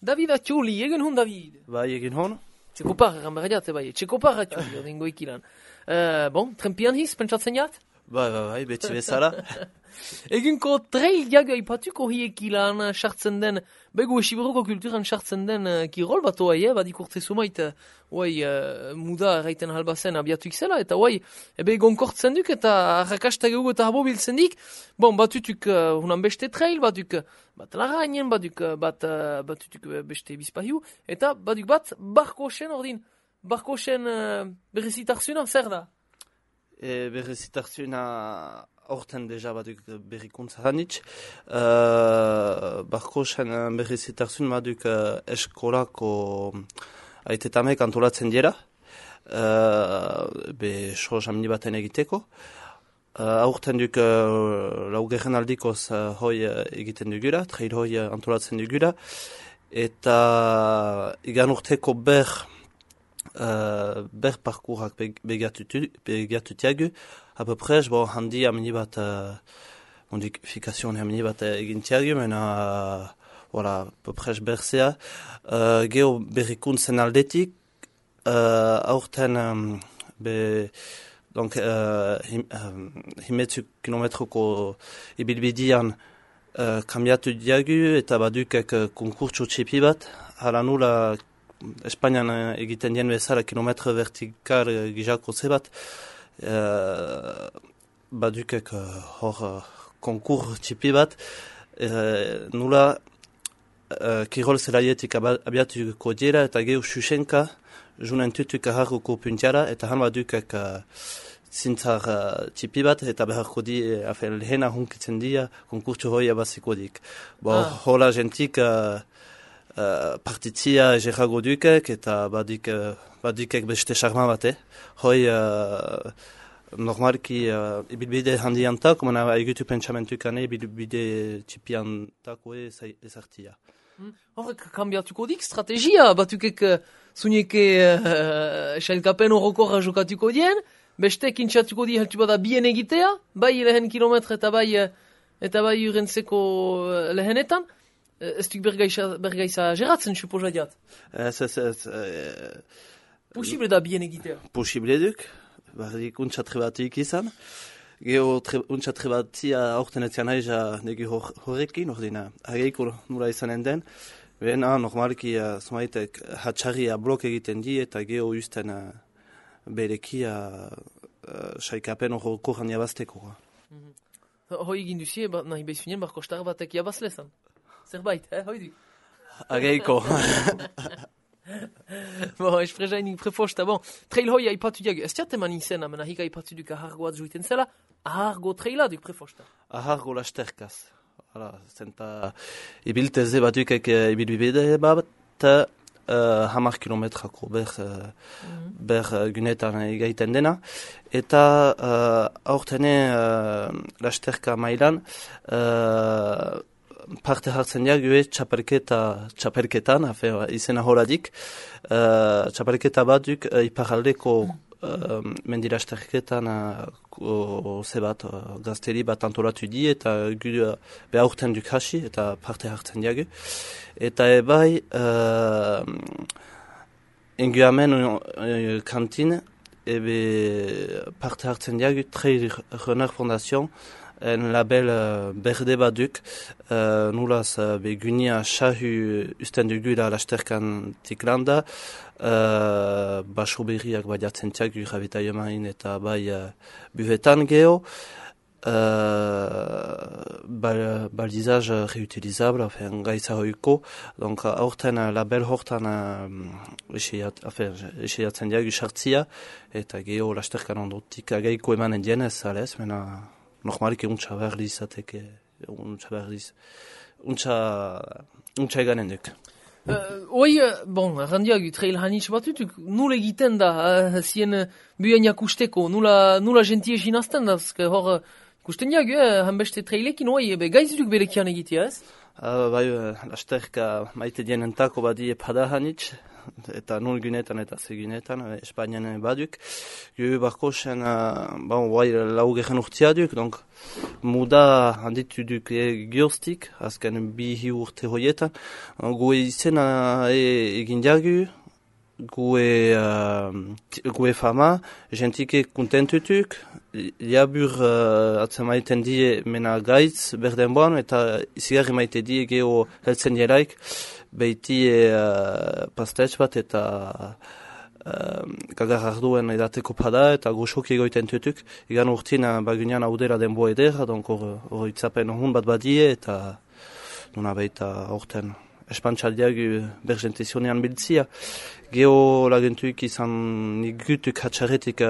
David Atxuli, egen hon David. Bai, egin hon? Txekopar, egan berdiate bai, txekopar Atxuli, odingo ikilan. Bon, trempian hiz, pentsatzen jat? Bai, beti bezala. Eginko trail jaga ipatuko hiekilan sartzen den, bego esiberoko kulturan sartzen den kirol bat oai, badik urte sumait, muda erraiten halbazen abiatuik zela, eta oai, ebe egonkortzen duk eta arrakasta gehugu eta habo biltzen dik, bon, batutuk hunan beste trail, batuk bat larainen, batutuk beste bizpahiu, eta batuk bat barkosen ordin, barkosen berrezitarzuna, zer da? Berrezitarzuna horten deja baduk berrikuntza hanitz. Barkosen berrezitarzun baduk eskolako aitetamek antolatzen dira. Be soz amni baten egiteko. Aurten duk laugerren aldikoz hoi egiten dugura, trail hoi antolatzen dugura. Eta igan urteko ber parcourak begatutiagu, à peu près, bon, handi amni bat modification amni bat egintiagu, mena, voilà, à peu près berzea, geo berrikuntzen aldetik, aurten, donc, himetzu kilometroko ibilbidian kambiatu diagu, eta badukek konkurtso txipi bat, hala nula Espainian egiten dien bezala kilometro vertikal gizako zebat, badukek hor konkur txipi bat, nula kirol zelaietik abiatuko dira eta gehu xuxenka, junen tutuk aharruko puntiara, eta han badukek zintzar txipi bat, eta beharko di, lehena hunkitzen dia, konkurtso hoi abaziko dik. Hola jentik, partitzia egerrago dukek eta badikek beste charma bate. Hoi normalki ibilbide handiantak, mena egutu pentsamentukane ibilbide txipiantako ezartia. Horrek kambiatuko dik strategia, batukek zuneke sailkapen horrokorra jokatuko dien, beste kintzatuko di heltu bada bien egitea, bai lehen kilometre eta bai urentzeko lehenetan. Ez duk bergaiza geratzen, suposa diat? Posible da bien egitea? Posible duk, barrik untxatre batik izan. Geo untxatre batia aurten etzian aiza negi horrekin, ordina, ageiko nula izanen den. Bena, normalki, zumaitek, hatxarria blok egiten di, eta geo usten berekia saikapen horroko jan jabazteko. Hoi egin duzie, nahi behizunien, barko star batek jabazlezan. Zerbait, hoidik. Ageiko. Esprezainik prefosta, trail hoi aipatu diag, ez tiat eman izena, mena hika aipatu duk ahargoat juiten zela, ahargo traila duk prefosta. Ahargo lasterkaz. Zenta ibilteze batukek ibilbide bat, 10 kilometrako ber gunetan egaiten dena. Eta aurtene lasterka mailan, parte hartzen diague txapelketan, izena horadik, txapelketa baduk iparaldeko mendirasterketan zebat gazteri bat antolatu di eta behaurten duk hasi eta parte hartzen diague. Eta ebai enguamen kantin parte hartzen diague Trail Runner Fondation en label berde baduk, nulaz begunia sahu usten dugula lasterkan tiklanda, baso berriak badiatzen tiak gurabeta jomain eta bai buvetan geho, baldizaz reutilizable, gaitza hoiko, donc aurten label hortan eseiatzen diagu sartzia, eta geho lasterkan ondotik agaiko emanen dienez, alez, mena normalik untsa berliz ateke, untsa eganen duk. Randiagu trail hanitz batutuk, nula egiten da, zien buien jakusteko, nula gentie jinazten da, hor, kusten diagu, hanbeste trailekin, gaizuduk berekian egitea, ez? Bai, lasterka maite dienentako badi epada hanitz, eta nul gunetan eta segunetan, Espainian baduk. Gero barkosen, guai laugerren urtia duk, donc muda handitu duk gioztik, azken bi urte hoietan. Gue izena egin diagu, gue fama, gentike kontentutuk, liabur atzemaiten die mena gaitz berdenboan, eta izigarri maite die geho heltzen dielaik, behiti pastetx bat eta gagar arduen edateko pada eta goxoki egoiten tutuk. Egan urtina bagunean haudera denbo edera, donk hor itzapen hun bat badie eta nuna behita horten espantxaldiagu bergentizionean biltzia. Geo lagentuik izan nigutuk hatxarretik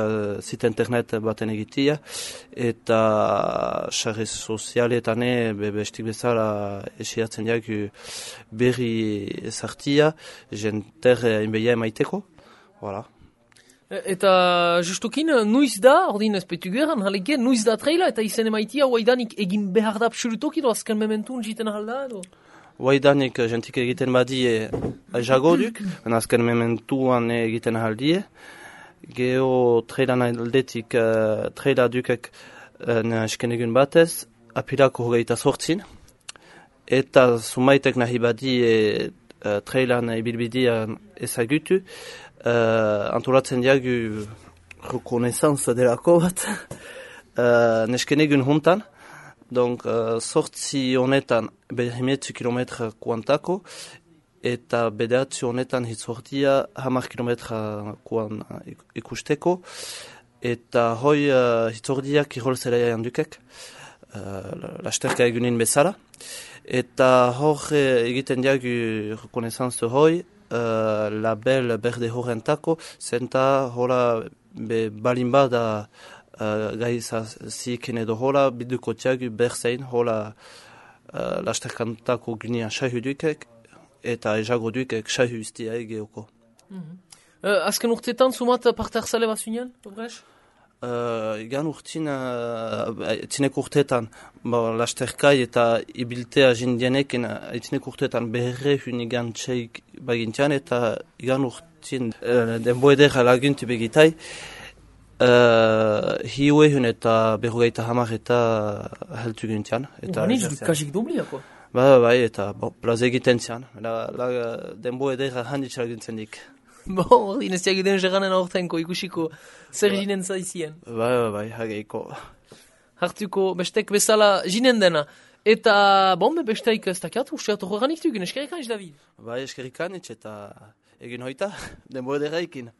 zit internet baten egitia, eta xarre sozialetan bestik bezala esiatzen diagu berri ezartia, jenter inbeia emaiteko. Voilà. Eta justukin, nuiz da, ordin ezpetu geran, haleke, nuiz da traila, eta izen emaitia, oaidanik egin behar da absolutok edo azken mementun jiten halda edo? Oaidanik jentik egiten badie aizago duk, azken mementuan egiten haldie. Geo trailan aldetik traila dukek eskenegun batez, apilako hogeita sortzin. Eta sumaitek nahi badie trailan ibilbidean ezagutu, antolatzen diagu rekonesantza delako bat, neskenegun juntan. Donc, sortzi honetan behimetzu kilometra kuantako, eta bederatzi honetan hitzortia 10 kilometra kuan ikusteko, eta hoi hitzordia kirol zelaia handukek, lasterka egunin bezala. Eta hor egiten diagu rekonesantzu hoi, label berde horrentako, zenta hola balin bada gaiza ziken edo hola, biduko tiagu berzein hola lasterkantako gunean sahu dukek, eta ezago dukek sahu iztia egeoko. Azken urtetan, sumat parte hartzale bazunean, Obrex? Egan urtin, etzinek urtetan, lasterkai eta ibiltea jindienekin, etzinek urtetan beherre hunigan txeik bagintian, eta egan urtin denbo edera laguntu begitai, hiue hun eta berrogeita hamar eta heltu gintian. Haniz, kasik dubliako? Bai, eta plaza egiten zian. Denbo edera handitz laguntzen dik. Ordin ez diaguden jeranen aurtenko ikusiko zer jinen zaizien. Bai, hageiko. Hartuko bestek bezala jinen dena. Eta, besteik ez dakiat, usteat horreganik dugun, eskerrikan, David? Bai, eskerrikan, eta egin hoita, denbo edera ikin.